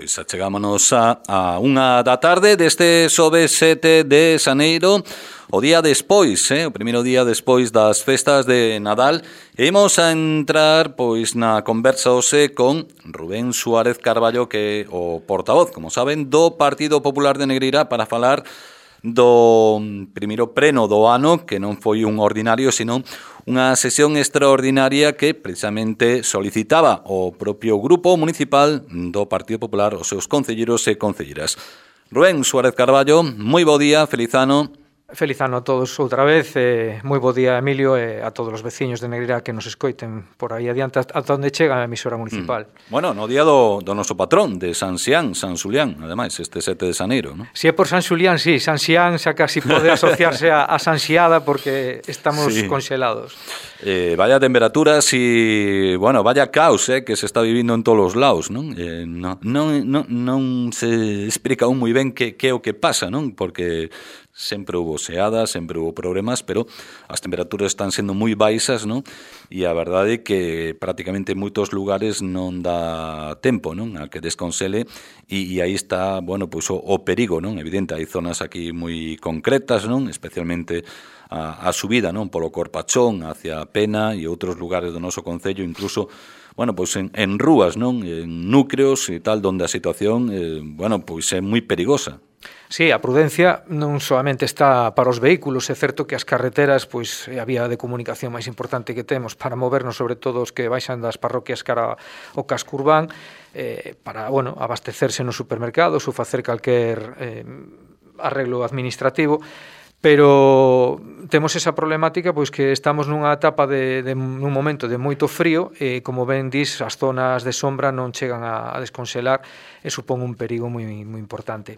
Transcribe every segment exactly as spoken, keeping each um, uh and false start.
pois achegámonos a, a unha da tarde deste xoves sete de xaneiro, o día despois, eh, o primeiro día despois das festas de Nadal, e imos a entrar pois na conversa hoxe con Rubén Suárez Carballo, que é o portavoz, como saben, do Partido Popular de Negreira, para falar do primeiro pleno do ano, que non foi un ordinario, sino unha sesión extraordinaria que precisamente solicitaba o propio grupo municipal do Partido Popular, os seus concelleros e concelleras. Rubén Suárez Carballo, moi bo día, feliz ano. Feliz ano a todos outra vez, eh, moi bo día, Emilio, e a todos os veciños de Negreira que nos escoiten por aí adiante ata onde chega a emisora municipal. Mm. Bueno, no día do, do noso patrón, de San Xián, San Xulián, ademais, este sete de xaneiro, non? Si é por San Xulián, sí, San Xián xa casi pode asociarse a, a San Xiada porque estamos sí. congelados. Eh, vaya temperaturas e, bueno, vaya caos eh, que se está vivindo en todos os lados, non? Eh, non, non, non, non se explica aún moi ben que, que é o que pasa, non? Porque sempre hubo xeadas, sempre hubo problemas, pero as temperaturas están sendo moi baixas, non? E a verdade é que prácticamente en moitos lugares non dá tempo, non? A que desconsele, e, e aí está, bueno, pois o, o perigo, non? Evidente, hai zonas aquí moi concretas, non? Especialmente a, a subida, non? Polo Corpachón hacia Pena e outros lugares do noso concello, incluso, bueno, pois en, en rúas, non? En núcleos e tal, donde a situación, eh, bueno, pois é moi perigosa. Sí, a prudencia non solamente está para os vehículos, é certo que as carreteras pois é a vía de comunicación máis importante que temos para movernos, sobre todo os que baixan das parroquias cara ao casco urbán, eh, para, bueno, abastecerse nos supermercados ou facer calquer eh, arreglo administrativo. Pero temos esa problemática pois que estamos nunha etapa de, de nun momento de moito frío e, como ben dis, as zonas de sombra non chegan a, a descongelar e supón un perigo moi, moi importante.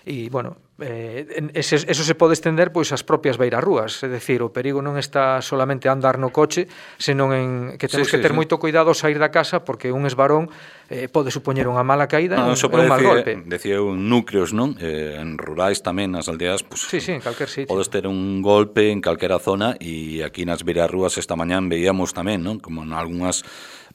E, bueno, eh, eso, eso se pode estender pois ás propias beirarrúas, é dicir, o perigo non está solamente a andar no coche, senón en que temos sí, que ter sí, moito cuidado ao sair da casa, porque un esbarón eh, pode supoñer unha mala caída e no, un, un mal golpe. Decía un núcleos, non? Eh, en rurais tamén, nas aldeas, pues, sí, sí, en calquer sitio. Podes ter un golpe en calquera zona, e aquí nas beirarrúas esta mañán veíamos tamén, non? Como en algunhas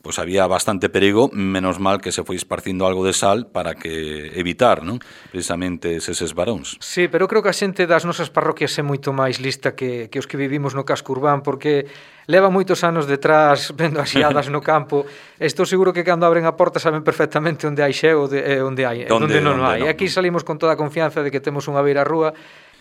pois había bastante perigo, menos mal que se foi esparcindo algo de sal para que evitar, non? Precisamente eses varóns. Sí, pero creo que a xente das nosas parroquias é moito máis lista que, que os que vivimos no casco urbán, porque leva moitos anos detrás vendo as xeadas no campo. Estou seguro que cando abren a porta saben perfectamente onde hai xeo e onde hai, onde, onde non hai. Aquí salimos con toda a confianza de que temos unha beirarrúa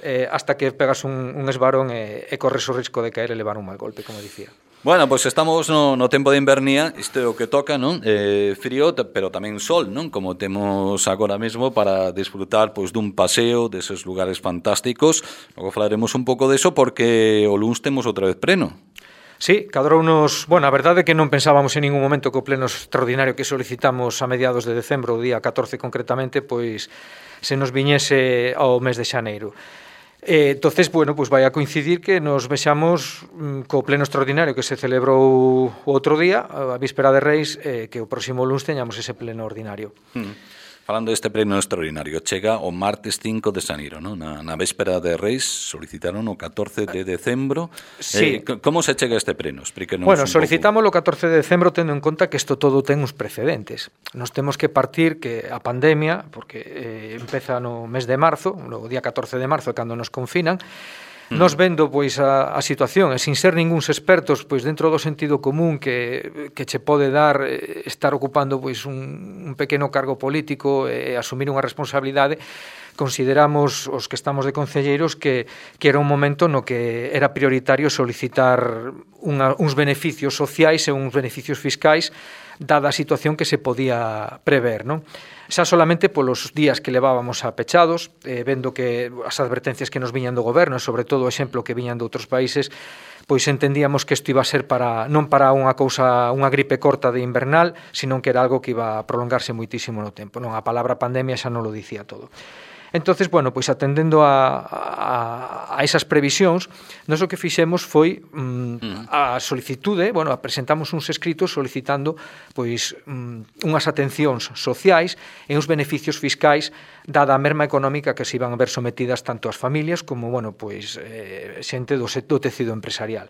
eh, hasta que pegas un, un esbarón e, e corres o risco de caer e levar un mal golpe, como dicía. Bueno, pois pues estamos no, no tempo de invernía, isto é o que toca, non? Eh, frío, pero tamén sol, non? Como temos agora mesmo para disfrutar pois dun paseo deses lugares fantásticos. Logo falaremos un pouco deso porque o luns temos outra vez pleno. Sí, cadrounos, bueno, a verdade é que non pensábamos en ningún momento que o pleno extraordinario que solicitamos a mediados de decembro, o día catorce concretamente, pois se nos viñese ao mes de xaneiro. Eh, entonces, bueno, pues vai a coincidir que nos vexamos mm, co pleno extraordinario que se celebrou o outro día, a víspera de Reis, eh, que o próximo luns teñamos ese pleno ordinario. Mm. Falando deste pleno extraordinario, chega o martes cinco de xaneiro, non? Na, na véspera de Reis solicitaron o catorce de decembro. Sí. Eh, como se chega este pleno? Explíquenos bueno, un solicitamos pouco. O catorce de decembro tendo en conta que isto todo ten uns precedentes. Nos temos que partir que a pandemia, porque eh, empeza no mes de marzo, no día catorce de marzo, cando nos confinan, nos vendo pois a, a situación e sin ser ninguns expertos pois dentro do sentido común que, que che pode dar eh, estar ocupando pois un, un pequeno cargo político e eh, asumir unha responsabilidade, consideramos os que estamos de concelleiros que, que era un momento no que era prioritario solicitar unha, uns beneficios sociais e uns beneficios fiscais dada a situación que se podía prever, non? Xa solamente polos días que levábamos a pechados, eh, vendo que as advertencias que nos viñan do goberno e sobre todo o exemplo que viñan de outros países, pois entendíamos que isto iba a ser para non para unha cousa, unha gripe corta de invernal, senón que era algo que iba a prolongarse moitísimo no tempo, non? A palabra pandemia xa non lo dicía todo. Entonces, bueno, pois atendendo a, a, a esas previsións, nós o que fixemos foi mm, a solicitude, bueno, presentamos uns escritos solicitando pois mm, unhas atencións sociais e uns beneficios fiscais dada a merma económica que se iban a ver sometidas tanto as familias como, bueno, pois eh, xente do, do tecido empresarial.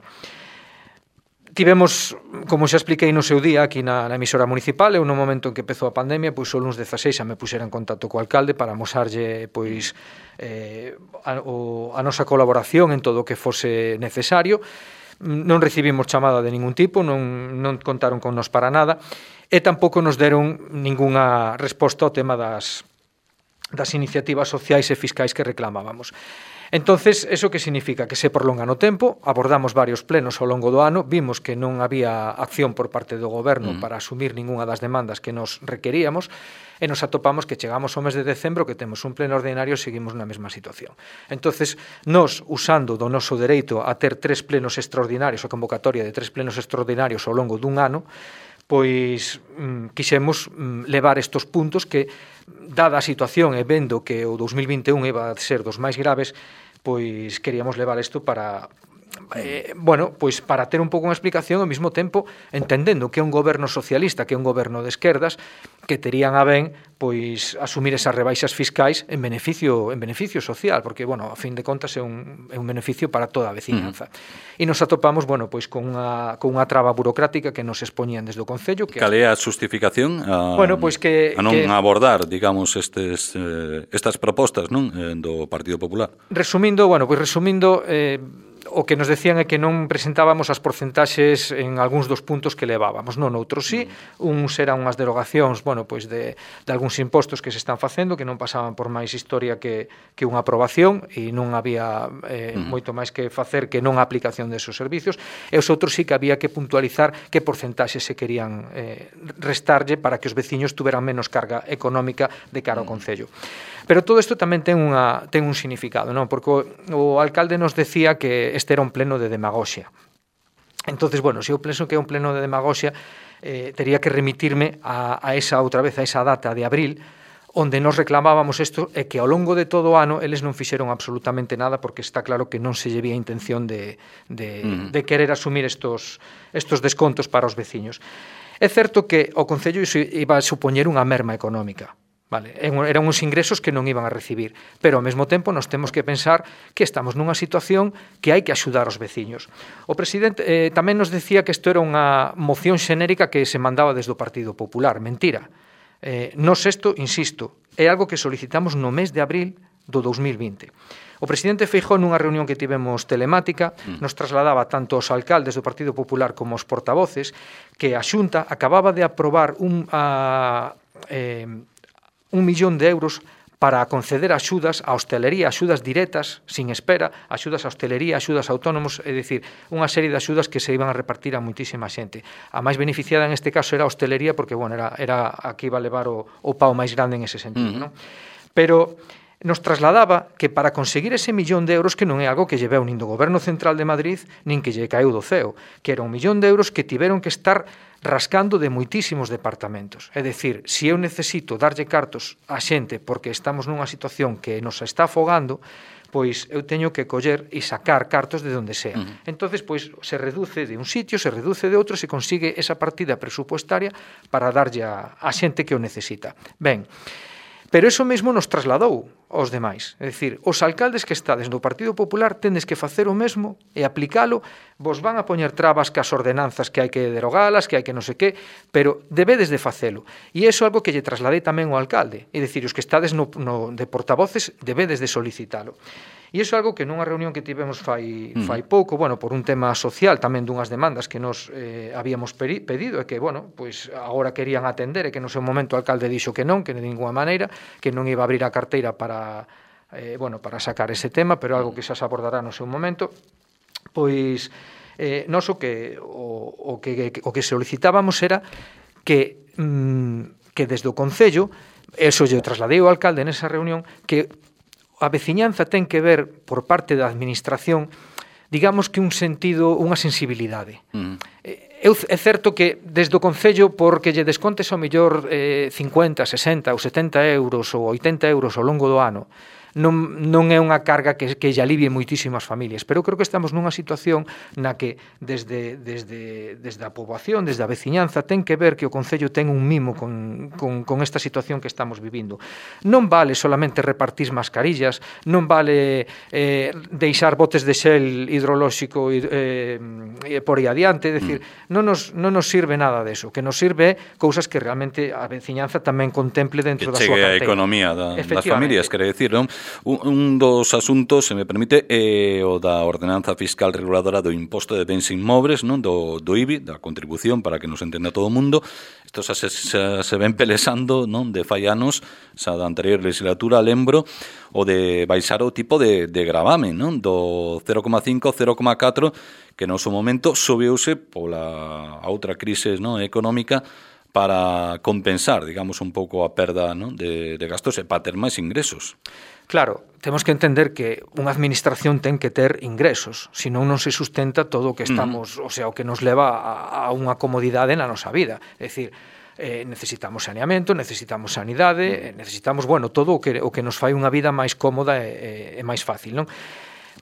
tivemos, como xa expliquei no seu día aquí na, na emisora municipal, eu no momento en que empezou a pandemia, pois o luns dezaseis xa me puxera en contacto co alcalde para amosarlle pois eh, a, o, a nosa colaboración en todo o que fose necesario. Non recibimos chamada de ningún tipo, non, non contaron con nos para nada e tampouco nos deron ningunha resposta ao tema das, das iniciativas sociais e fiscais que reclamábamos. Entonces, eso que significa? Que se prolonga no tempo, abordamos varios plenos ao longo do ano, vimos que non había acción por parte do goberno mm. para asumir ningunha das demandas que nos requeríamos e nos atopamos que chegamos ao mes de decembro que temos un pleno ordinario e seguimos na mesma situación. Entonces, nos, usando do noso dereito a ter tres plenos extraordinarios, a convocatoria de tres plenos extraordinarios ao longo dun ano, pois mm, quixemos mm, levar estos puntos que, dada a situación e vendo que o dous mil vinte e un iba a ser dos máis graves, pois queríamos levar isto para eh, bueno, pois para ter un pouco unha explicación ao mesmo tempo entendendo que é un goberno socialista, que é un goberno de esquerdas que terían a ben pois asumir esas rebaixas fiscais en beneficio en beneficio social, porque bueno, a fin de contas é un, é un beneficio para toda a veciñanza. Uh-huh. E nos atopamos, bueno, pois con unha con unha traba burocrática que nos expoñían desde o concello, que cal é a justificación a, bueno, pois que a non que, abordar, digamos, estes eh, estas propostas, non, eh, do Partido Popular. Resumindo, bueno, pois resumindo eh o que nos decían é que non presentábamos as porcentaxes en algúns dos puntos que levábamos, non outros sí, uns eran unhas derogacións, bueno, pois de, de algúns impostos que se están facendo que non pasaban por máis historia que, que unha aprobación e non había eh, uh-huh. moito máis que facer que non a aplicación desos servicios, e os outros sí que había que puntualizar que porcentaxes se querían eh, restarlle para que os veciños tuveran menos carga económica de cara ao concello. Pero todo isto tamén ten unha ten un significado, non? Porque o, o alcalde nos decía que este era un pleno de demagoxia. Entonces, bueno, se eu penso que é un pleno de demagoxia, eh, tería que remitirme a, a esa outra vez, a esa data de abril, onde nos reclamábamos isto e que ao longo de todo o ano eles non fixeron absolutamente nada porque está claro que non se lle vía intención de, de, mm. de querer asumir estos, estos descontos para os veciños. É certo que o Concello iba a supoñer unha merma económica. Vale, eran uns ingresos que non iban a recibir, pero ao mesmo tempo nos temos que pensar que estamos nunha situación que hai que axudar aos veciños. O presidente eh, tamén nos decía que isto era unha moción xenérica que se mandaba desde o Partido Popular. Mentira. Eh, nos isto, insisto, é algo que solicitamos no mes de abril do dous mil vinte. O presidente Feijóo nunha reunión que tivemos telemática nos trasladaba tanto aos alcaldes do Partido Popular como aos portavoces que a Xunta acababa de aprobar un... A, eh, un millón de euros para conceder axudas á hostelería, axudas directas, sin espera, axudas á hostelería, axudas a autónomos, é dicir, unha serie de axudas que se iban a repartir a moitísima xente. A máis beneficiada en este caso era a hostelería, porque, bueno, era, era a que iba a levar o, o pau máis grande en ese sentido, uh-huh. non? Pero nos trasladaba que para conseguir ese millón de euros, que non é algo que lle veu nin do Goberno Central de Madrid, nin que lle caeu do ceo, que era un millón de euros que tiveron que estar rascando de moitísimos departamentos. É dicir, se eu necesito darlle cartos a xente porque estamos nunha situación que nos está afogando, pois eu teño que coller e sacar cartos de donde sea. Uh-huh. Entonces, pois, se reduce de un sitio, se reduce de outro, se consigue esa partida presupuestaria para darlle a, a xente que o necesita. Ben, pero eso mesmo nos trasladou aos demais. É dicir, os alcaldes que estades no Partido Popular tendes que facer o mesmo e aplicalo. Vos van a poñer trabas que as ordenanzas que hai que derogalas, que hai que non sei que, pero debedes de facelo. E iso é algo que lle trasladei tamén ao alcalde. É dicir, os que estades no, no, de portavoces debedes de solicitalo. E iso é algo que nunha reunión que tivemos fai, fai pouco, bueno, por un tema social, tamén dunhas demandas que nos eh, habíamos pedido, e que, bueno, pois agora querían atender, e que no seu momento o alcalde dixo que non, que de ninguna maneira, que non iba a abrir a carteira para, eh, bueno, para sacar ese tema, pero algo que xa se abordará no seu momento. Pois, eh, nos o que, o, o que, o que solicitábamos era que, mm, que desde o Concello, eso lle trasladei ao alcalde nesa reunión, que a veciñanza ten que ver por parte da administración, digamos que un sentido, unha sensibilidade. Mm. É certo que desde o Concello, porque lle descontes ao mellor eh, cincuenta, sesenta ou setenta euros ou oitenta euros ao longo do ano, non, non é unha carga que, que lle alivie moitísimas familias, pero creo que estamos nunha situación na que desde, desde, desde a poboación, desde a veciñanza, ten que ver que o Concello ten un mimo con, con, con esta situación que estamos vivindo. Non vale solamente repartir mascarillas, non vale eh, deixar botes de xel hidrolóxico eh, por aí adiante, é dicir, mm. non, nos, non nos sirve nada deso, que nos sirve cousas que realmente a veciñanza tamén contemple dentro que da súa carteira. A economía da, das familias, quere decir, non? Un, un dos asuntos, se me permite, é o da ordenanza fiscal reguladora do imposto de bens inmobles, non? Do, do I B I, da contribución, para que nos entenda todo o mundo. Isto xa se, se, se ven pelesando, non? De fai anos, xa da anterior legislatura, lembro, o de baixar o tipo de, de gravame, non? Do cero coma cinco, cero coma catro, que no seu momento subiuse pola a outra crise, non? Económica, para compensar, digamos, un pouco a perda, ¿no? de, de gastos e para ter máis ingresos. Claro, temos que entender que unha administración ten que ter ingresos, senón non se sustenta todo o que estamos, mm. o sea, o que nos leva a, a unha comodidade na nosa vida. É dicir, eh, necesitamos saneamento, necesitamos sanidade, necesitamos, bueno, todo o que, o que nos fai unha vida máis cómoda e, e, e máis fácil, non?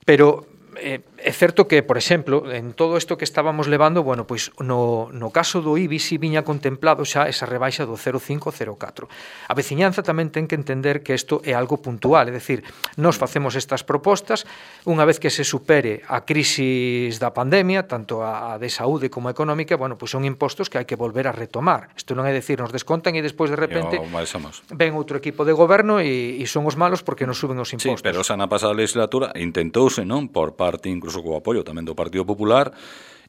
Pero Eh, é certo que, por exemplo, en todo isto que estábamos levando, bueno, pois no, no caso do I B I si viña contemplado xa esa rebaixa do cero coma cinco, cero coma catro. A veciñanza tamén ten que entender que isto é algo puntual, é dicir, nós facemos estas propostas, unha vez que se supere a crisis da pandemia, tanto a de saúde como a económica, bueno, pois son impostos que hai que volver a retomar. Isto non é dicir, nos descontan e despois de repente ven outro equipo de goberno e, e son os malos porque nos suben os impostos. Sí, pero xa na pasada legislatura intentouse, non, por parte incluso co apoio tamén do Partido Popular,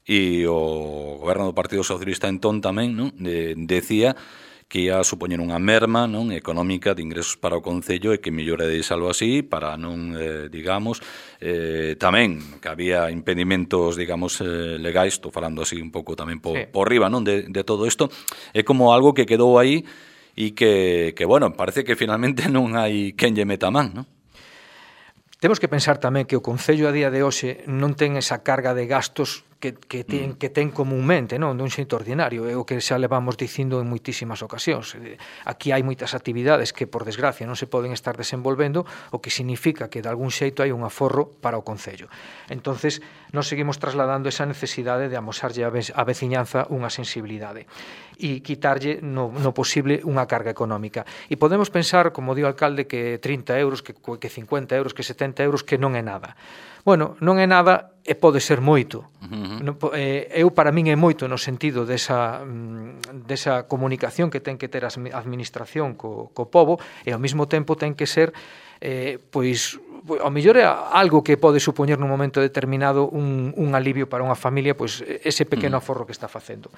e o goberno do Partido Socialista entón tamén, non, de, decía que ia supoñer unha merma, non, económica de ingresos para o Concello e que mellor é deixalo así para non, eh, digamos, eh, tamén que había impedimentos, digamos, eh, legais, estou falando así un pouco tamén por, sí. por riba, non, de, de todo isto, é como algo que quedou aí e que, que, bueno, parece que finalmente non hai quen lle meta man, non? Temos que pensar tamén que o Concello a día de hoxe non ten esa carga de gastos que, que, ten, que ten comúnmente, non, dun xeito ordinario, é o que xa levamos dicindo en moitísimas ocasións. Aquí hai moitas actividades que, por desgracia, non se poden estar desenvolvendo, o que significa que de algún xeito hai un aforro para o Concello. Entonces, nós seguimos trasladando esa necesidade de amosarlle á veciñanza unha sensibilidade e quitarlle no, no posible unha carga económica. E podemos pensar, como di o alcalde, que trinta euros, que, que cincuenta euros, que setenta euros, que non é nada. Bueno, non é nada e pode ser moito. Uh-huh. Eu, para min, é moito no sentido desa, desa comunicación que ten que ter a administración co, co pobo, e ao mesmo tempo ten que ser, eh, pois, ao mellor é algo que pode supoñer nun momento determinado un, un alivio para unha familia, pois ese pequeno aforro que está facendo.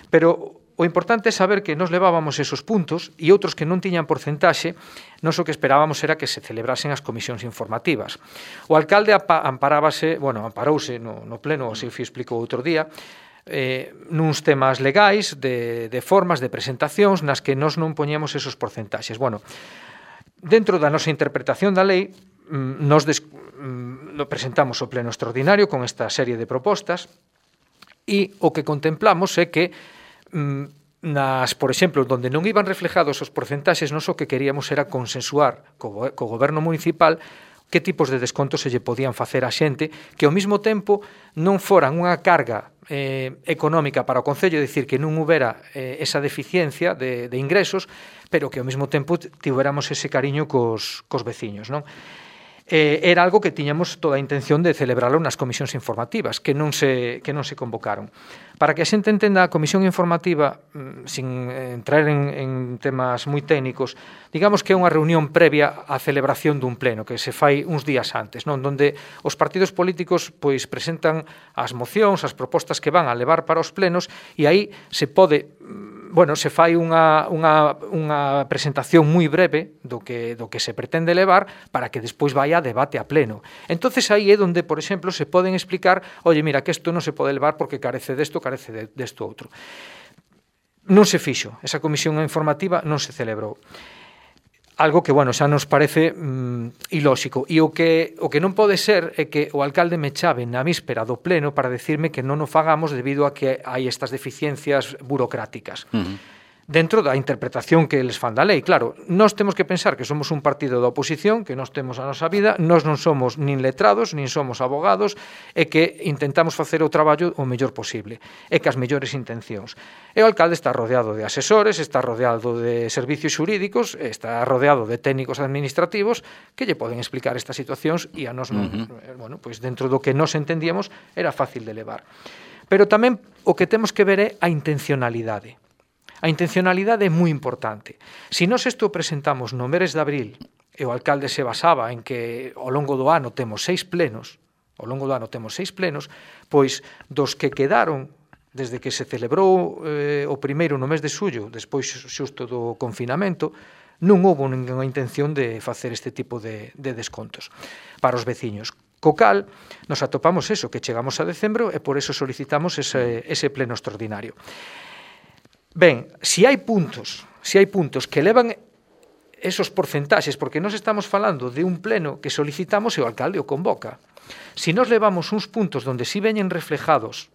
Pero o importante é saber que nos levábamos esos puntos e outros que non tiñan porcentaxe, nós o que esperábamos era que se celebrasen as comisións informativas. O alcalde amparábase, bueno, amparouse no, no pleno, así o explicou outro día, eh, nuns temas legais, de, de formas, de presentacións, nas que nós non poñíamos esos porcentaxes. Bueno, dentro da nosa interpretación da lei, nos des, no presentamos o pleno extraordinario con esta serie de propostas e o que contemplamos é que nas, por exemplo, donde non iban reflejados os porcentaxes, nós o que queríamos era consensuar co, co goberno municipal que tipos de descontos se lle podían facer á xente que ao mesmo tempo non foran unha carga eh, económica para o Concello, é dicir, que non houbera eh, esa deficiencia de, de ingresos, pero que ao mesmo tempo tivéramos ese cariño cos, cos veciños, non? Eh, era algo que tiñamos toda a intención de celebrarlo nas comisións informativas, que non se, que non se convocaron. Para que a xente entenda a comisión informativa, sin entrar en, en temas moi técnicos, digamos que é unha reunión previa á celebración dun pleno, que se fai uns días antes, non, onde os partidos políticos pois presentan as mocións, as propostas que van a levar para os plenos, e aí se pode, bueno, se fai unha, unha, unha presentación moi breve do que, do que se pretende levar para que despois vai a debate a pleno. Entonces aí é onde, por exemplo, se poden explicar, oye, mira, que isto non se pode levar porque carece desto, carece de, desto outro. Non se fixo, esa comisión informativa non se celebrou. Algo que, bueno, xa nos parece mm, ilóxico. E o que, o que non pode ser é que o alcalde me chave na víspera do pleno para decirme que non o fagamos debido a que hai estas deficiencias burocráticas. Uh-huh. dentro da interpretación que eles fan da lei. Claro, nós temos que pensar que somos un partido da oposición, que nós temos a nosa vida, nós non somos nin letrados, nin somos abogados, e que intentamos facer o traballo o mellor posible, e que as mellores intencións. E o alcalde está rodeado de asesores, está rodeado de servicios xurídicos, está rodeado de técnicos administrativos que lle poden explicar estas situacións e a nós non, uh-huh. bueno, pois dentro do que nós entendíamos era fácil de levar. Pero tamén o que temos que ver é a intencionalidade. A intencionalidade é moi importante. Se nós isto presentamos no mes de abril e o alcalde se basaba en que ao longo do ano temos seis plenos, ao longo do ano temos seis plenos, pois dos que quedaron desde que se celebrou eh, o primeiro no mes de xullo, despois xusto do confinamento, non houve ninguna intención de facer este tipo de, de descontos para os veciños. Co cal, nos atopamos eso, que chegamos a decembro e por eso solicitamos ese, ese pleno extraordinario. Ben, se hai puntos, se hai puntos que levan esos porcentaxes, porque nós estamos falando de un pleno que solicitamos e o alcalde o convoca. Se nós levamos uns puntos donde si veñen reflejados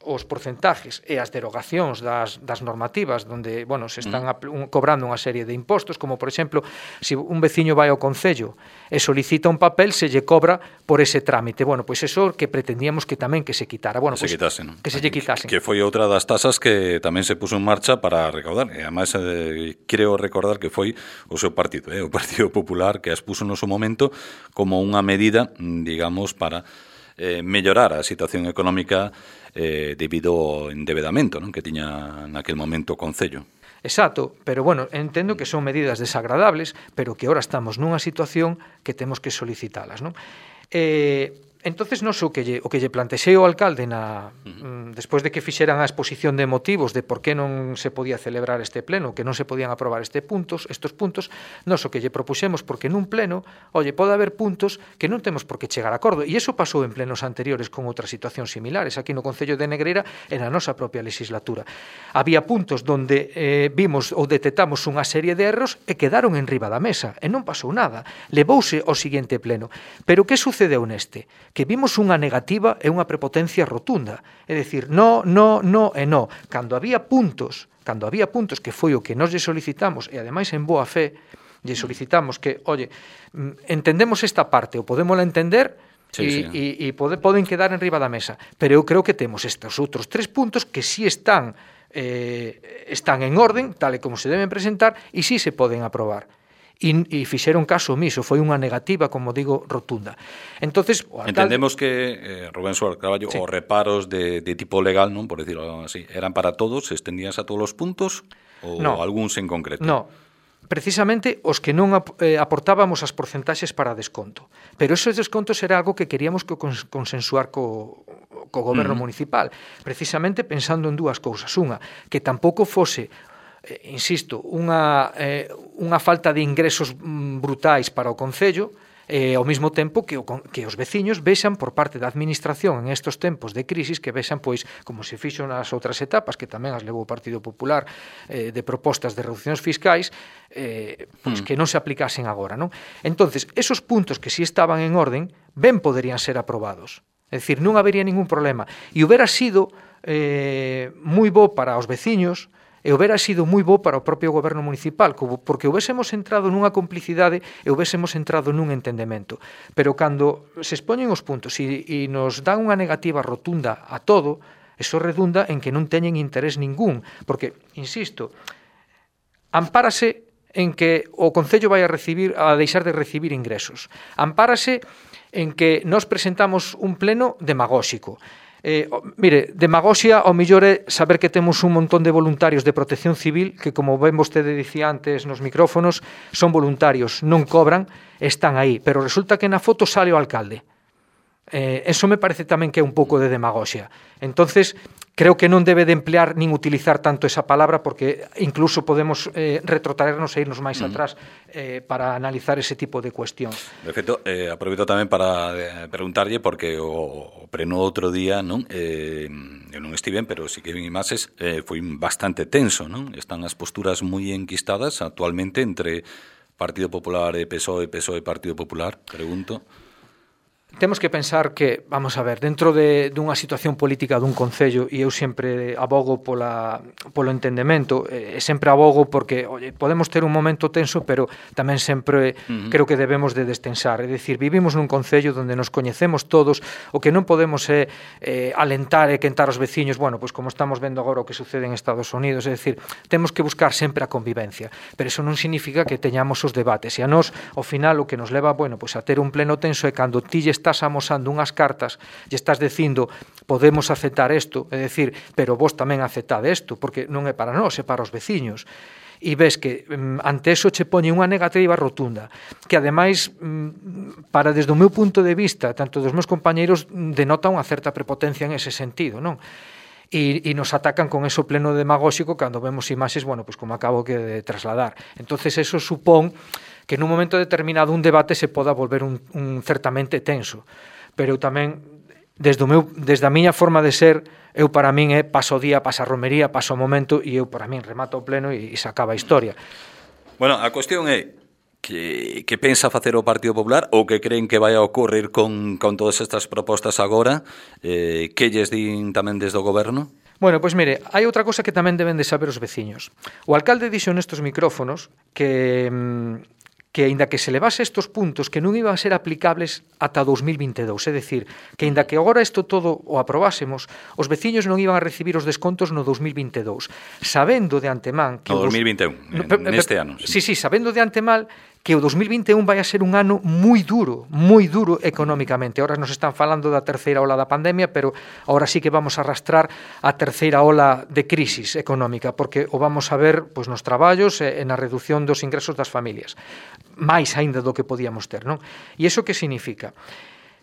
os porcentajes e as derogacións das, das normativas donde, bueno, se están a, un, cobrando unha serie de impostos, como, por exemplo, se un veciño vai ao Concello e solicita un papel, se lle cobra por ese trámite. Bueno, pois eso que pretendíamos que tamén que se quitara. Bueno, que se pois, quitasen, ¿no? Que se lle quitasen. Que foi outra das tasas que tamén se puso en marcha para recaudar. E, además, eh, creo recordar que foi o seu partido, eh, o Partido Popular, que as puso no seu momento como unha medida, digamos, para eh, mellorar a situación económica eh, debido ao endebedamento, non, que tiña naquel momento o Concello. Exacto, pero bueno, entendo que son medidas desagradables, pero que ahora estamos nunha situación que temos que solicitalas, non? Eh, entonces non sei o que lle, o que lle plantexei ao alcalde na, uh-huh. despois de que fixeran a exposición de motivos de por que non se podía celebrar este pleno, que non se podían aprobar este puntos, estos puntos, nós o que lle propuxemos, porque nun pleno, oye, pode haber puntos que non temos por que chegar a acordo, e iso pasou en plenos anteriores con outras situacións similares, aquí no Concello de Negreira e na nosa propia legislatura. Había puntos donde eh, vimos ou detectamos unha serie de erros e quedaron en riba da mesa, e non pasou nada, levouse ao seguinte pleno. Pero que sucedeu neste? Que vimos unha negativa e unha prepotencia rotunda. É dicir, no, no, no e no. Cando había puntos, cando había puntos que foi o que nós lle solicitamos, e ademais en boa fe, lle solicitamos que, oye, entendemos esta parte, ou podémola entender, sí, e, sí. e, e pode, poden quedar en riba da mesa. Pero eu creo que temos estes outros tres puntos que sí están, eh, están en orden, tal e como se deben presentar, e sí se poden aprobar. E, e fixeron caso omiso, foi unha negativa, como digo, rotunda. Entonces, o alcalde... Entendemos que, eh, Rubén Suárez Carballo, sí. os reparos de, de tipo legal, non, por decirlo así, eran para todos, se extendías a todos os puntos ou no, algúns en concreto? No, precisamente os que non eh, aportábamos as porcentaxes para desconto. Pero esos descontos era algo que queríamos que consensuar co, co goberno uh-huh. municipal, precisamente pensando en dúas cousas. Unha, que tampouco fose Eh, insisto, unha, eh, unha falta de ingresos mm, brutais para o Concello, e ao mesmo tempo que, o, que os veciños vexan por parte da administración en estos tempos de crisis, que vexan, pois, como se fixo nas outras etapas, que tamén as levou o Partido Popular, eh, de propostas de reduccións fiscais, eh, pois, mm. que non se aplicasen agora, non? Entonces, esos puntos que si estaban en orden, ben poderían ser aprobados. É dicir, non habería ningún problema. E houbera sido eh, moi bo para os veciños, e houbera sido moi bo para o propio goberno municipal, porque houbésemos entrado nunha complicidade e houbésemos entrado nun entendemento. Pero cando se expoñen os puntos e, e nos dan unha negativa rotunda a todo, eso redunda en que non teñen interés ningún, porque, insisto, ampárase en que o Concello vai a recibir a deixar de recibir ingresos. Ampárase en que nós presentamos un pleno demagóxico. Eh, mire, demagoxia ao mellor é saber que temos un montón de voluntarios de protección civil que, como ben vostede dicía antes nos micrófonos, son voluntarios, non cobran, están aí, pero resulta que na foto sale o alcalde. Eh, eso me parece tamén que é un pouco de demagoxia. Entonces, creo que non debe de emplear nin utilizar tanto esa palabra, porque incluso podemos eh, retrotraernos e irnos máis uh-huh. atrás eh, para analizar ese tipo de cuestións. De feito, eh, aproveito tamén para eh, preguntarlle, porque o, o preno outro día, non? Eh, eu non estiven, pero si que vin imaxes, eh, foi bastante tenso, non? Están as posturas moi enquistadas actualmente entre Partido Popular e P S O E, P S O E e Partido Popular, pregunto. temos que pensar que, vamos a ver, dentro de dunha situación política dun concello, e eu sempre abogo pola, polo entendemento, e sempre abogo porque, oye, podemos ter un momento tenso, pero tamén sempre uh-huh. creo que debemos de destensar. É dicir, vivimos nun concello onde nos coñecemos todos, o que non podemos é eh, alentar e quentar os veciños, bueno, pois como estamos vendo agora o que sucede en Estados Unidos, é dicir, temos que buscar sempre a convivencia, pero eso non significa que teñamos os debates, e a nós, ao final, o que nos leva, bueno, pois a ter un pleno tenso é cando ti estás amosando unhas cartas e estás dicindo podemos aceptar isto, é dicir, pero vos tamén aceptade isto, porque non é para nós, é para os veciños. E ves que ante eso che poñe unha negativa rotunda, que ademais, para desde o meu punto de vista, tanto dos meus compañeiros, denota unha certa prepotencia en ese sentido, non? E, e nos atacan con eso pleno demagóxico cando vemos imaxes, bueno, pues como acabo que de trasladar. Entonces eso supón que nun momento determinado un debate se poda volver un, un certamente tenso. Pero eu tamén, desde, o meu, desde a miña forma de ser, eu para min é paso o día, pasa a romería, paso o momento, e eu para min remato o pleno e, e se acaba a historia. Bueno, a cuestión é que, que pensa facer o Partido Popular ou que creen que vai a ocorrer con, con todas estas propostas agora, eh, que lles din tamén desde o goberno? Bueno, pois mire, hai outra cosa que tamén deben de saber os veciños. O alcalde dixo nestos micrófonos que... Mmm, que aínda que se levase estes puntos que non iban a ser aplicables ata dous mil vinte e dous, é dicir, que aínda que agora isto todo o aprobásemos, os veciños non iban a recibir os descontos no dous mil vinte e dous, sabendo de antemán que no dous mil vinte e un, no, neste ano. Sí, sí, sabendo de antemán que o dous mil vinte e un vai a ser un ano moi duro, moi duro económicamente. Ahora nos están falando da terceira ola da pandemia, pero ahora sí que vamos a arrastrar a terceira ola de crisis económica, porque o vamos a ver pois nos traballos e na reducción dos ingresos das familias. máis aínda do que podíamos ter, non? E iso que significa?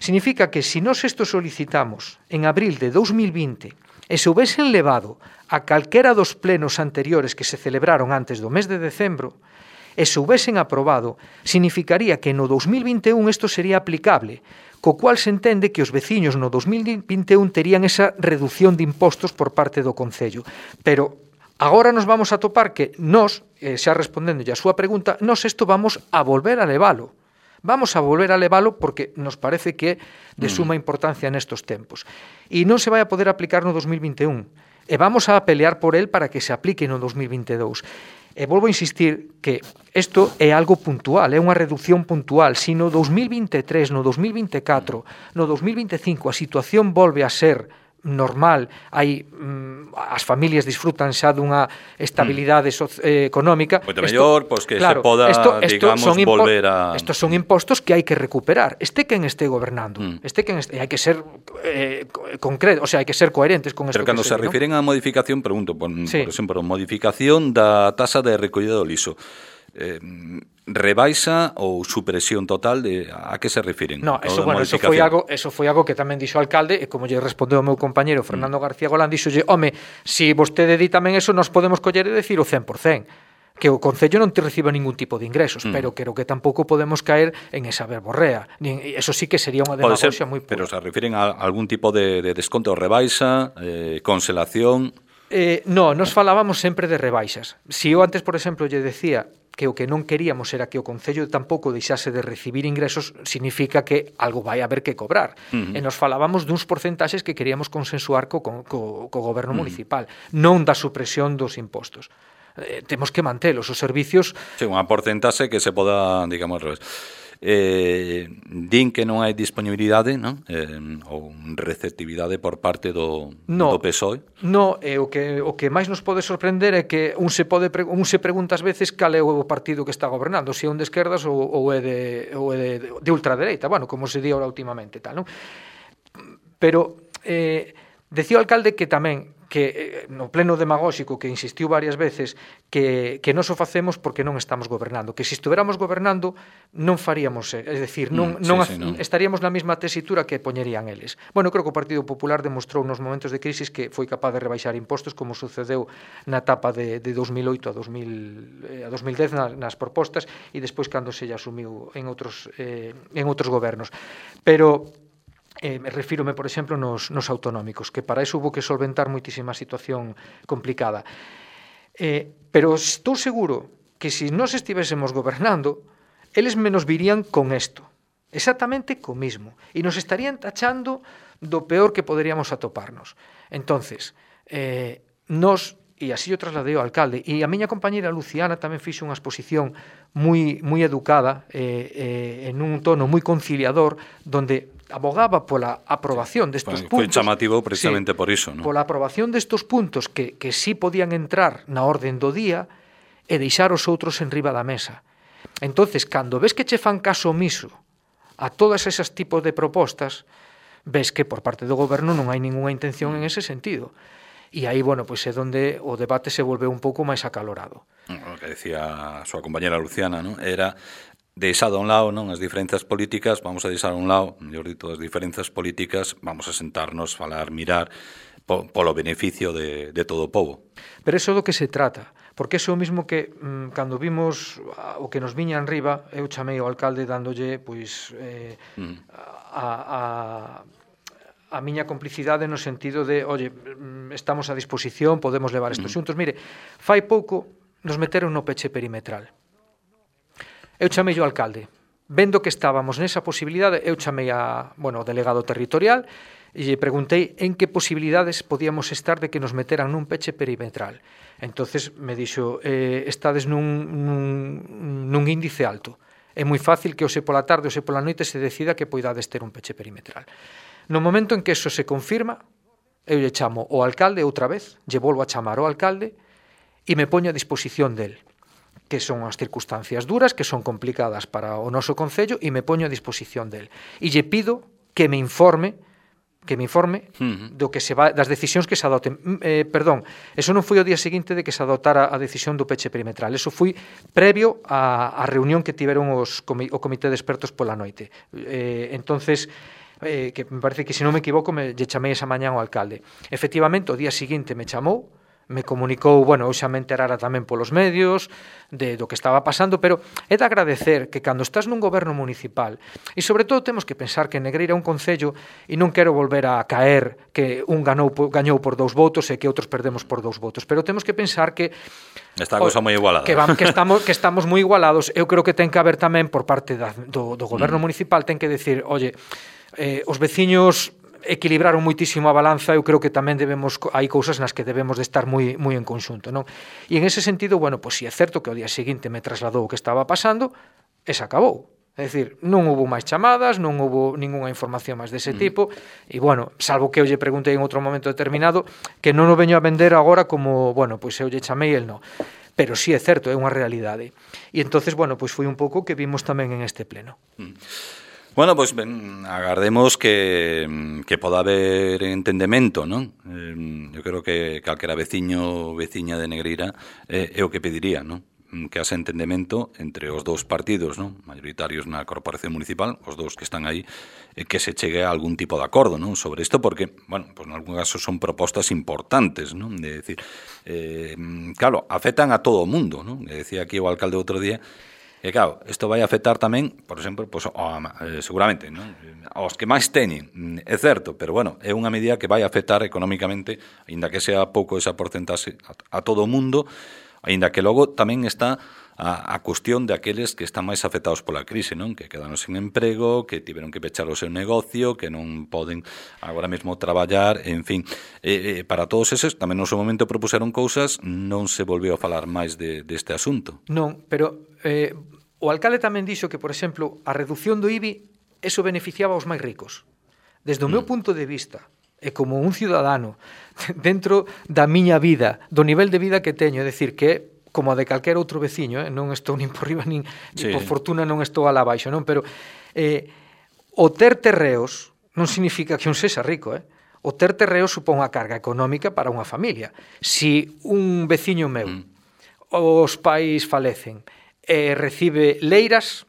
Significa que se nós isto solicitamos en abril de dous mil vinte e se houvesen levado a calquera dos plenos anteriores que se celebraron antes do mes de decembro e se houvesen aprobado, significaría que no dous mil vinte e un isto sería aplicable, co cual se entende que os veciños no dous mil vinte e un terían esa reducción de impostos por parte do Concello. Pero agora nos vamos a topar que nós, eh, xa respondendo a súa pregunta, nós isto vamos a volver a levalo. Vamos a volver a levalo porque nos parece que é de suma importancia nestos tempos. E non se vai a poder aplicar no dous mil vinte e un. E vamos a pelear por el para que se aplique no dous mil vinte e dous. E volvo a insistir que isto é algo puntual, é unha reducción puntual. Se no dous mil vinte e tres, no dous mil vinte e catro, no dous mil vinte e cinco a situación volve a ser normal, hai mm, as familias disfrutan xa dunha estabilidade so, eh, económica, moito mellor, pois que claro, se poda, esto, esto digamos, son impo- volver a... Estos son impostos que hai que recuperar, este quen este gobernando, mm. este quen este, hai que ser eh, concreto, o sea, hai que ser coherentes con isto. Pero cando se, se refiren ¿no? a modificación, pregunto, por, sí. por exemplo, modificación da tasa de recollida do liso, eh, rebaixa ou supresión total de a que se refiren? No, eso bueno, eso foi algo, eso foi algo que tamén dixo o alcalde e como lle respondeu o meu compañeiro Fernando mm. García Golán, dixolle, home, si vostede di tamén eso, nos podemos coller e decir o cen por cen, que o Concello non te reciba ningún tipo de ingresos, mm. pero creo que tampouco podemos caer en esa verborrea. Eso sí que sería unha demagogia moi pura. Pero se refiren a algún tipo de, de desconto, rebaixa, eh, conselación... Eh, no, nos falábamos sempre de rebaixas. Si eu antes, por exemplo, lle decía que o que non queríamos era que o Concello tampouco deixase de recibir ingresos, significa que algo vai haber que cobrar. Uh-huh. E nos falábamos duns porcentaxes que queríamos consensuar co, co, co goberno uh-huh. municipal, non da supresión dos impostos. Eh, temos que mantelos, os servicios... Sí, unha porcentaxe que se poda, digamos, revés. Eh, din que non hai disponibilidade, non? Eh, ou receptividade por parte do, no, do P S O E. No, eh, o que o que máis nos pode sorprender é que un se pode un se pregunta ás veces cal é o partido que está gobernando, se é un de esquerdas ou, ou é de ou é de, de ultradereita, bueno, como se di ahora últimamente, tal, non? Pero eh, decía o alcalde que tamén que no pleno demagóxico que insistiu varias veces que, que non o facemos porque non estamos gobernando, que se estuveramos gobernando non faríamos, é dicir, non, mm, non sí, sí, non. estaríamos na mesma tesitura que poñerían eles. Bueno, creo que o Partido Popular demostrou nos momentos de crisis que foi capaz de rebaixar impostos como sucedeu na etapa de, de dos mil oito a dos mil dez nas, nas propostas e despois cando se lle asumiu en outros, eh, en outros gobernos. Pero Eh, me refírome, por exemplo, nos, nos autonómicos, que para iso hubo que solventar moitísima situación complicada. Eh, pero estou seguro que se nós estivésemos gobernando, eles menos virían con isto. exactamente co mismo, e nos estarían tachando do peor que poderíamos atoparnos. Entonces, eh, nos, e así o trasladei ao alcalde, e a miña compañera Luciana tamén fixo unha exposición moi, moi educada, eh, eh, en un tono moi conciliador, donde abogaba pola aprobación destes puntos. Foi puntos. chamativo precisamente sí, por iso, ¿no? Pola aprobación destes puntos que, que sí podían entrar na orden do día e deixar os outros en riba da mesa. Entonces, cando ves que che fan caso omiso a todas esas tipos de propostas, ves que por parte do goberno non hai ninguna intención en ese sentido. E aí, bueno, pois é donde o debate se volveu un pouco máis acalorado. O que decía a súa compañera Luciana, ¿no? Era deixado a un lado, non, as diferenzas políticas, vamos a deixar a un lado, mellor dito, as diferenzas políticas, vamos a sentarnos, falar, mirar po, polo beneficio de, de todo o povo. Pero eso é do que se trata, porque eso é o mismo que mmm, cando vimos o que nos viña en riba, eu chamei ao alcalde dándolle pois eh, mm. a, a a miña complicidade no sentido de, oye, estamos a disposición, podemos levar estes xuntos. Mire, fai pouco nos meteron no peche perimetral. Eu chamei ao alcalde. Vendo que estábamos nesa posibilidade, eu chamei a, bueno, ao delegado territorial e lle preguntei en que posibilidades podíamos estar de que nos meteran nun peche perimetral. Entonces me dixo, eh, estades nun, nun, nun índice alto. É moi fácil que hoxe pola tarde, hoxe pola noite se decida que poidades ter un peche perimetral. No momento en que eso se confirma, eu lle chamo ao alcalde outra vez, lle volvo a chamar ao alcalde e me poño a disposición del, que son as circunstancias duras, que son complicadas para o noso concello, e me poño a disposición del. E lle pido que me informe que me informe uh-huh. do que se va, das decisións que se adoten. Eh, perdón, eso non foi o día seguinte de que se adoptara a decisión do peche perimetral. Eso foi previo á, á reunión que tiveron os, o comité de expertos pola noite. Eh, entonces, eh, que me parece que, se non me equivoco, me lle chamei esa mañá ao alcalde. Efectivamente, o día seguinte me chamou, me comunicou, bueno, eu xa me enterara tamén polos medios de do que estaba pasando, pero é de agradecer que cando estás nun goberno municipal, e sobre todo temos que pensar que Negreira é un concello, e non quero volver a caer que un ganou, gañou por dous votos e que outros perdemos por dous votos, pero temos que pensar que esta cousa moi igualada. Que, van, que, estamos, que estamos moi igualados. Eu creo que ten que haber tamén por parte da, do, do goberno mm. municipal, ten que decir, oye, eh, os veciños equilibraron moitísimo a balanza, eu creo que tamén debemos, hai cousas nas que debemos de estar moi moi en conxunto, non? E en ese sentido, bueno, pois si é certo que o día seguinte me trasladou o que estaba pasando, e se acabou. É dicir, non houbo máis chamadas, non houbo ninguna información máis dese tipo, e bueno, salvo que eu lle preguntei en outro momento determinado, que non o veño a vender agora como, bueno, pois eu lle chamei el non. Pero sí é certo, é unha realidade. E entonces, bueno, pois foi un pouco que vimos tamén en este pleno. Mm. Bueno, pois pues, agardemos que, que poda haber entendemento, non? Eh, eu creo que calquera veciño ou veciña de Negreira eh, é o que pediría, non? Que haxe entendemento entre os dous partidos, non? Mayoritarios na corporación municipal, os dous que están aí, eh, que se chegue a algún tipo de acordo, non? Sobre isto, porque, bueno, pues en algún caso son propostas importantes, non? De decir, eh, claro, afectan a todo o mundo, non? Que decía aquí o alcalde outro día. E claro, isto vai afectar tamén, por exemplo, pues, oh, eh, seguramente, non? Aos que máis teñen, é certo, pero bueno, é unha medida que vai afectar económicamente, aínda que sea pouco esa porcentaxe, a, a todo o mundo, aínda que logo tamén está a, a cuestión de aqueles que están máis afectados pola crise, non? Que quedaron sen emprego, que tiveron que pechar o seu negocio, que non poden agora mesmo traballar, en fin. Eh, eh, para todos eses, tamén no seu momento propuseron cousas, non se volveu a falar máis de, deste asunto. Non, pero eh, o alcalde tamén dixo que, por exemplo, a reducción do I B I, eso beneficiaba aos máis ricos. Desde o meu punto de vista, e como un ciudadano, dentro da miña vida, do nivel de vida que teño, é dicir, que como a de calquer outro veciño, eh? Non estou nin por riba, nin, sí. nin por fortuna non estou alá baixo, non? Pero eh, o ter terreos non significa que un sexa rico, eh? O ter terreos supón unha carga económica para unha familia. Si un veciño meu, mm. os pais falecen, e recibe leiras,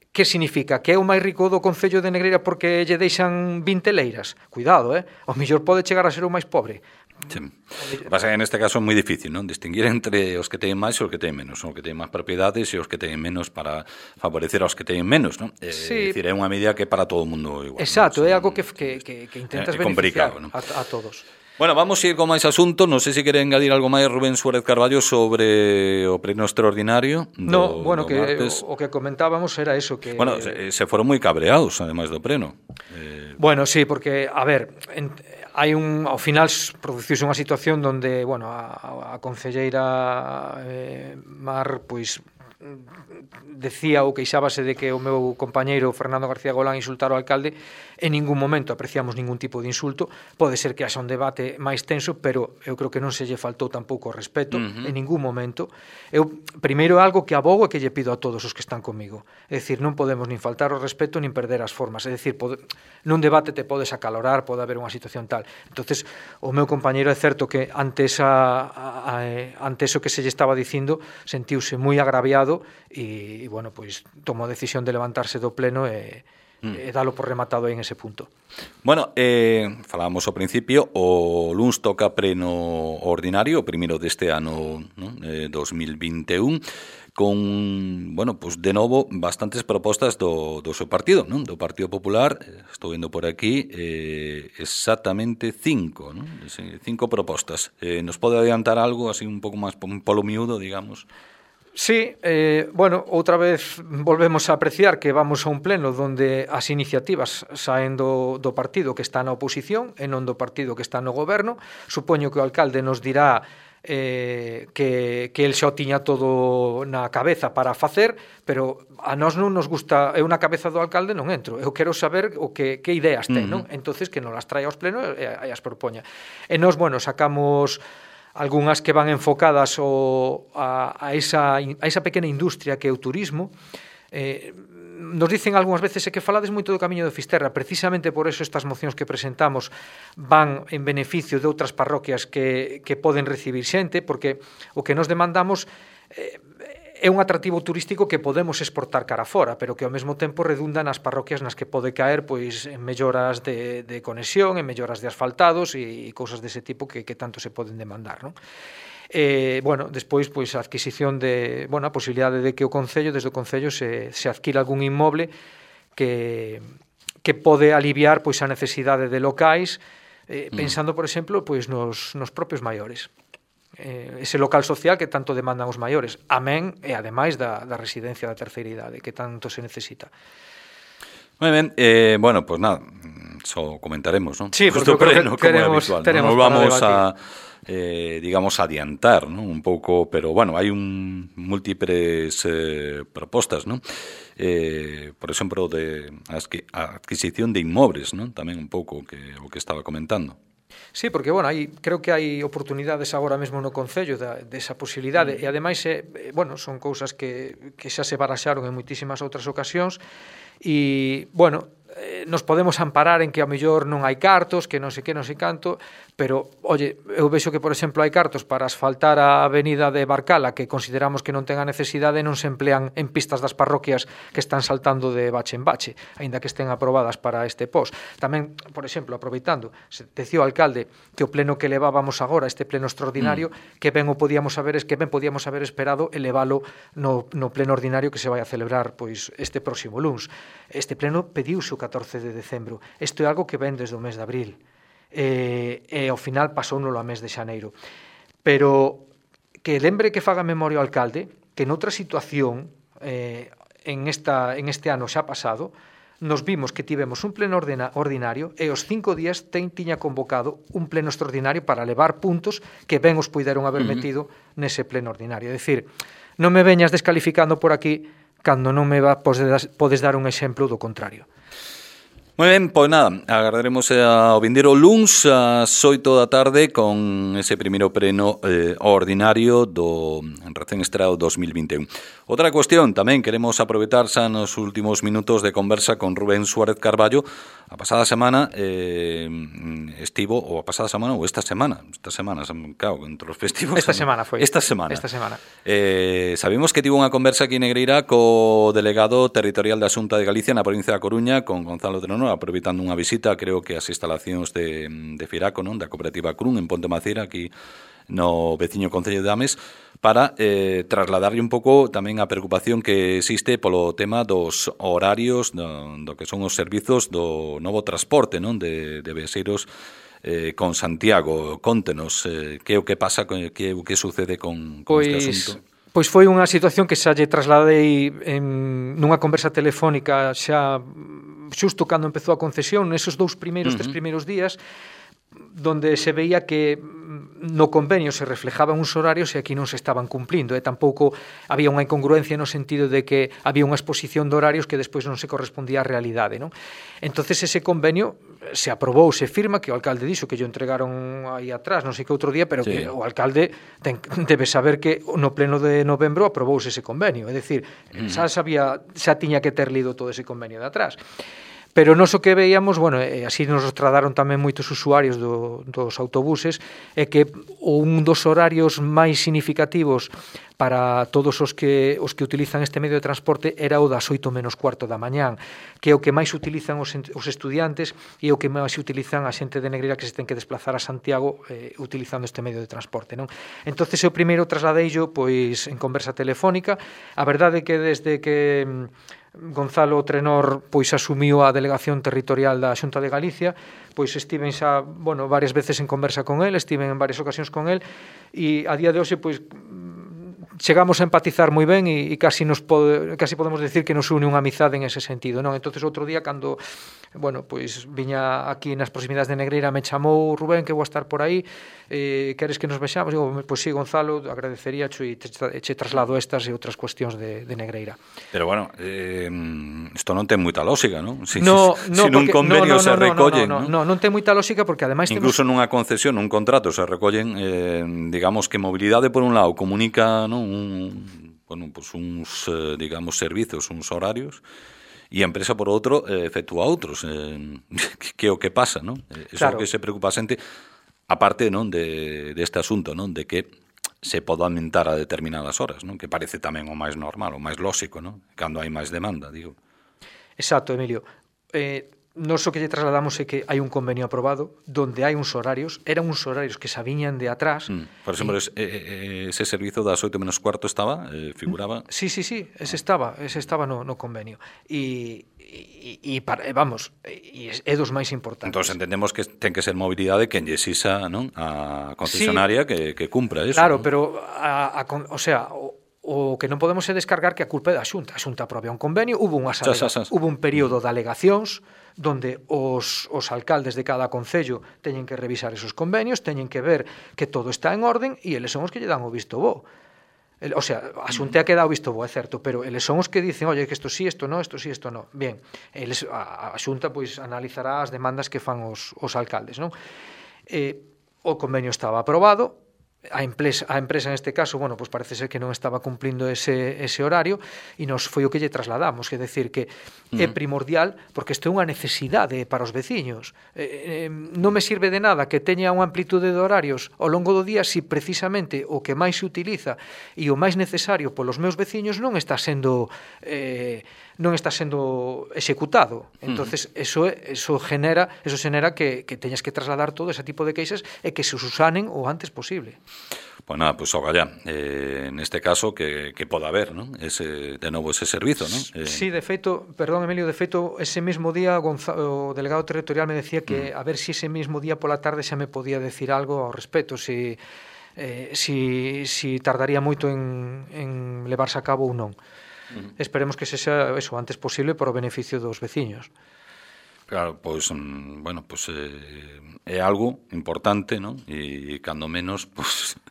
que significa? Que é o máis rico do concello de Negreira porque lle deixan vinte leiras? Cuidado, eh? O mellor pode chegar a ser o máis pobre. Sí. Pasa que neste caso é moi difícil, non? Distinguir entre os que teñen máis e os que teñen menos, os que teñen máis propiedades e os que teñen menos para favorecer aos que teñen menos, non? É sí. dicir, é unha medida que para todo o mundo igual. Exacto, non? é algo que, que, que, que intentas é beneficiar ¿no? a, a todos. Bueno, vamos a ir con máis asuntos. Non sei se quere engadir algo máis Rubén Suárez Carballo sobre o pleno extraordinario do, No, bueno, do que martes. o, o que comentábamos era eso que... Bueno, se, se foron moi cabreados, ademais do pleno. Eh... Bueno, sí, porque, a ver, en, hai un, ao final produciuse unha situación donde, bueno, a, a concelleira eh, Mar, pois, decía ou queixábase de que o meu compañeiro Fernando García Golán insultara ao alcalde. En ningún momento apreciamos ningún tipo de insulto. Pode ser que haxa un debate máis tenso, pero eu creo que non se lle faltou tampouco o respeto, uh-huh. en ningún momento. Eu, primeiro, algo que abogo e que lle pido a todos os que están comigo. É dicir, non podemos nin faltar o respeto nin perder as formas. É dicir, pode, nun debate te podes acalorar, pode haber unha situación tal. Entonces, o meu compañeiro é certo que ante, esa, a, a, ante eso que se lle estaba dicindo, sentiuse moi agraviado e, e bueno, pois tomou a decisión de levantarse do pleno e e dalo por rematado aí en ese punto. Bueno, eh, falábamos ao principio, o luns toca pleno ordinario, o primeiro deste ano, ¿no? eh, dos mil vinte e un, con, bueno, pues de novo, bastantes propostas do, do seu partido, ¿no? Do Partido Popular. Estou vendo por aquí eh, exactamente cinco, ¿no? Cinco propostas. Eh, nos pode adiantar algo así un pouco máis polo miúdo, digamos? Sí, eh, bueno, outra vez volvemos a apreciar que vamos a un pleno donde as iniciativas saen do, do partido que está na oposición e non do partido que está no goberno. Supoño que o alcalde nos dirá eh, que, que el xa o tiña todo na cabeza para facer, pero a nós non nos gusta, eu na cabeza do alcalde non entro, eu quero saber o que, que ideas ten, uh-huh. non? Entonces que nos las traia aos plenos e, e as propoña. E nós, bueno, sacamos algunhas que van enfocadas o, a, a, esa, a esa pequena industria que é o turismo. Eh, nos dicen algunhas veces que falades moito do Camiño de Fisterra, precisamente por eso estas mocións que presentamos van en beneficio de outras parroquias que, que poden recibir xente, porque o que nos demandamos eh, é un atractivo turístico que podemos exportar cara fora, pero que ao mesmo tempo redunda nas parroquias nas que pode caer pois en melloras de, de conexión, en melloras de asfaltados e, e cousas dese tipo que, que tanto se poden demandar, non? Eh, bueno, despois pois a adquisición de, bueno, a posibilidade de que o Concello, desde o Concello se, se adquira algún inmoble que, que pode aliviar pois a necesidade de locais, eh, pensando, por exemplo, pois nos, nos propios maiores. Eh, ese local social que tanto demandan os maiores, amén e ademais da, da residencia da terceira idade que tanto se necesita. Moi ben, eh, bueno, pues nada, só comentaremos, ¿no? Sí, porque pleno, que teremos, como é habitual, teremos ¿no? Nos vamos a, eh, digamos, adiantar, ¿no? Un pouco, pero bueno, hai un múltiples eh, propostas, ¿no? Eh, por exemplo, de a adquisición de inmobles, ¿no? Tamén un pouco que o que estaba comentando. Sí, porque, bueno, hai, creo que hai oportunidades agora mesmo no Concello da, desa posibilidade, e ademais, eh, bueno, son cousas que, que xa se baraxaron en moitísimas outras ocasións, e, bueno, eh, nos podemos amparar en que a mellor non hai cartos, que non sei que, non sei canto, pero, oye, eu vexo que, por exemplo, hai cartos para asfaltar a avenida de Barcala que consideramos que non ten a necesidade e non se emplean en pistas das parroquias que están saltando de bache en bache, aínda que estén aprobadas para este pos. Tamén, por exemplo, aproveitando, se decía o alcalde que o pleno que levábamos agora, este pleno extraordinario, mm. que ben o podíamos haber, que ben podíamos haber esperado elevalo no, no pleno ordinario que se vai a celebrar pois este próximo luns. Este pleno pediuse o catorce de decembro. Isto é algo que ven desde o mes de abril. E, e ao final pasouno a mes de xaneiro. Pero que lembre que faga memoria o alcalde que noutra situación eh, en, esta, en este ano xa pasado nos vimos que tivemos un pleno ordena, ordinario e os cinco días ten, tiña convocado un pleno extraordinario para levar puntos que ben os puideron haber metido uh-huh. nese pleno ordinario. É dicir, non me veñas descalificando por aquí cando non me va, podes, podes dar un exemplo do contrario. Moi ben, pois nada, agardaremos ao vindeiro luns ás oito da tarde con ese primeiro pleno eh, ordinario do recén estreado dos mil vinte e un. Outra cuestión, tamén queremos aproveitar xa nos últimos minutos de conversa con Rubén Suárez Carballo. A pasada semana eh, estivo, ou a pasada semana, ou esta semana, esta semana, claro, entre os festivos... Esta semana foi. Esta semana. Esta semana. Eh, sabemos que tivo unha conversa aquí en Negreira co delegado territorial da Xunta de Galicia na provincia da Coruña, con Gonzalo Trono, aproveitando unha visita, creo que as instalacións de, de Firaco, non, da cooperativa Crun, en Ponte Macera, aquí no veciño concello de Ames, para eh, trasladarlle un pouco tamén a preocupación que existe polo tema dos horarios do, do que son os servizos do novo transporte, non, de, de viaxeiros eh, con Santiago. Contenos eh, que é o que pasa, que o que sucede con, con pois, este asunto. Pois foi unha situación que xa lle trasladei en, nunha conversa telefónica xa xusto cando empezou a concesión, nesos dous primeiros, uh-huh. tres primeiros días, donde se veía que no convenio se reflejaban uns horarios e aquí non se estaban cumplindo, e tampouco había unha incongruencia no sentido de que había unha exposición de horarios que despois non se correspondía á realidade, non? Entonces ese convenio se aprobou, se firma, que o alcalde dixo que yo entregaron aí atrás, non sei que outro día, pero sí. que o alcalde ten, debe saber que no pleno de novembro aprobouse ese convenio, é dicir, mm. xa sabía, xa tiña que ter lido todo ese convenio de atrás. Pero nos o que veíamos, bueno, e así nos tradaron tamén moitos usuarios do, dos autobuses, é que un dos horarios máis significativos para todos os que os que utilizan este medio de transporte era o das oito menos cuarto da mañán, que é o que máis utilizan os, os estudiantes e o que máis utilizan a xente de Negreira que se ten que desplazar a Santiago eh, utilizando este medio de transporte, non? Entonces eu primeiro trasladeillo pois en conversa telefónica. A verdade é que desde que Gonzalo Trenor pois asumiu a delegación territorial da Xunta de Galicia, pois estiven xa, bueno, varias veces en conversa con el, estiven en varias ocasións con el, e a día de hoxe pois chegamos a empatizar moi ben e, e casi nos pode, casi podemos decir que nos une unha amizade en ese sentido, non? Entonces outro día cando, bueno, pois viña aquí nas proximidades de Negreira, me chamou Rubén que vou a estar por aí, eh, queres que nos vexamos? Digo, pois sí, Gonzalo, agradecería e te, te traslado estas e outras cuestións de, de Negreira. Pero bueno, eh, isto non ten moita lógica, non? Si, no, si, no, si nun convenio no, no, se no, recollen, no, no, non? no, non ten moita lógica porque ademais incluso temos... nunha concesión, nun contrato se recollen, eh, digamos que mobilidade por un lado comunica, non, un, bueno, pues uns, eh, digamos, servizos, uns horarios, e a empresa, por outro, eh, efectúa outros. Eh, que é o que pasa, non? Eso claro. É o que se preocupa a xente, aparte, non, de, deste asunto, non, de que se pode aumentar a determinadas horas, non? Que parece tamén o máis normal, o máis lóxico, non? Cando hai máis demanda, digo. Exacto, Emilio. Eh, nos o que lle trasladamos é que hai un convenio aprobado donde hai uns horarios, eran uns horarios que sabiñan de atrás. Mm. Por exemplo, y... ese, ese servizo das oito menos cuarto estaba, eh, figuraba... Sí, sí, sí, ese estaba, ese estaba no, no convenio. E, e, e para, vamos, e é dos máis importantes. Entón entendemos que ten que ser mobilidade quen lle exisa, non, a concesionaria sí, que, que cumpra eso. Claro, ¿no? pero, a, a, o sea... O, o que non podemos é descargar que a culpa é da Xunta. A Xunta aprobou un convenio, hubo, unhas alega... hubo un período de alegacións donde os, os alcaldes de cada concello teñen que revisar esos convenios, teñen que ver que todo está en orden e eles son os que lle dan o visto bo. El, o sea, a Xunta ha quedado visto bo, é certo, pero eles son os que dicen, oye, que isto sí, isto no, isto sí, isto no. Bien, eles, a, a Xunta pois analizará as demandas que fan os, os alcaldes, non? Eh, o convenio estaba aprobado, a empresa, a empresa neste caso, bueno, pues parece ser que non estaba cumplindo ese, ese horario e nos foi o que lle trasladamos, é decir, que uh-huh. é primordial porque isto é unha necesidade para os veciños. Eh, eh, non me sirve de nada que teña unha amplitude de horarios ao longo do día se precisamente o que máis se utiliza e o máis necesario polos meus veciños non está sendo eh, non está sendo executado. Entonces, uh-huh. eso eso genera, eso genera que, que teñas que trasladar todo ese tipo de queixas e que se usanen o antes posible. Pues nada, pues ogallá, eh, neste caso que, que poda haber, ¿no? Ese, de novo ese servizo, ¿no? Eh... Sí, de feito, perdón Emilio, de feito, ese mismo día Gonzalo, o delegado territorial me decía que uh-huh. a ver si ese mismo día pola tarde xa me podía decir algo ao respecto, si, eh, si, si tardaría moito en, en levarse a cabo ou non. Uh-huh. Esperemos que se xa eso antes posible para o beneficio dos veciños. Claro, pois, pues, bueno, pois pues, eh, é algo importante, ¿no? E cando menos, pois, pues,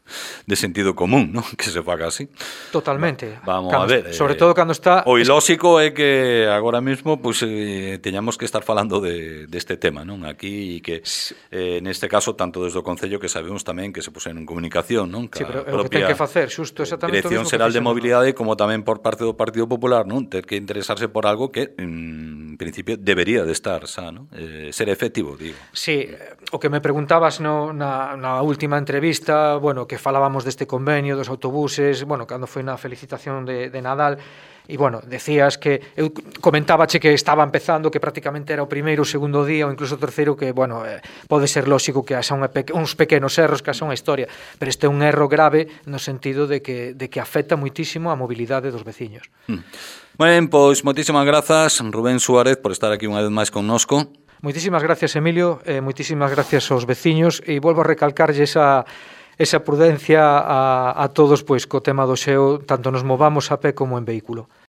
de sentido común, ¿no? Que se faga así. Totalmente. Va, vamos cando, a ver. Sobre eh, todo cando está... O ilóxico é que agora mesmo, pois, pues, eh, teñamos que estar falando de, deste tema, non? Aquí, e que, eh, neste caso, tanto desde o Concello que sabemos tamén que se pusen en comunicación, non? Sí, pero é o que ten que facer, xusto, exactamente Dirección Xeral de Mobilidade, como tamén por parte do Partido Popular, non? Ter que interesarse por algo que, en principio, debería de estar xa, ¿no? Eh, ser efectivo, digo. Sí, o que me preguntabas no, na, na última entrevista, bueno, que falábamos deste convenio dos autobuses, bueno, cando foi na felicitación de, de Nadal, e, bueno, decías que, eu comentábache que estaba empezando, que prácticamente era o primeiro, o segundo día, ou incluso o terceiro, que, bueno, eh, pode ser lóxico que haxa uns pequenos erros, que haxa unha historia, pero este é un erro grave no sentido de que, de que afecta moitísimo a mobilidade dos veciños. Mm. Ben, pois, moitísimas grazas, Rubén Suárez, por estar aquí unha vez máis connosco. Moitísimas gracias, Emilio, e moitísimas gracias aos veciños, e volvo a recalcarlle esa esa prudencia a, a todos, pois co tema do xeo, tanto nos movamos a pé como en vehículo.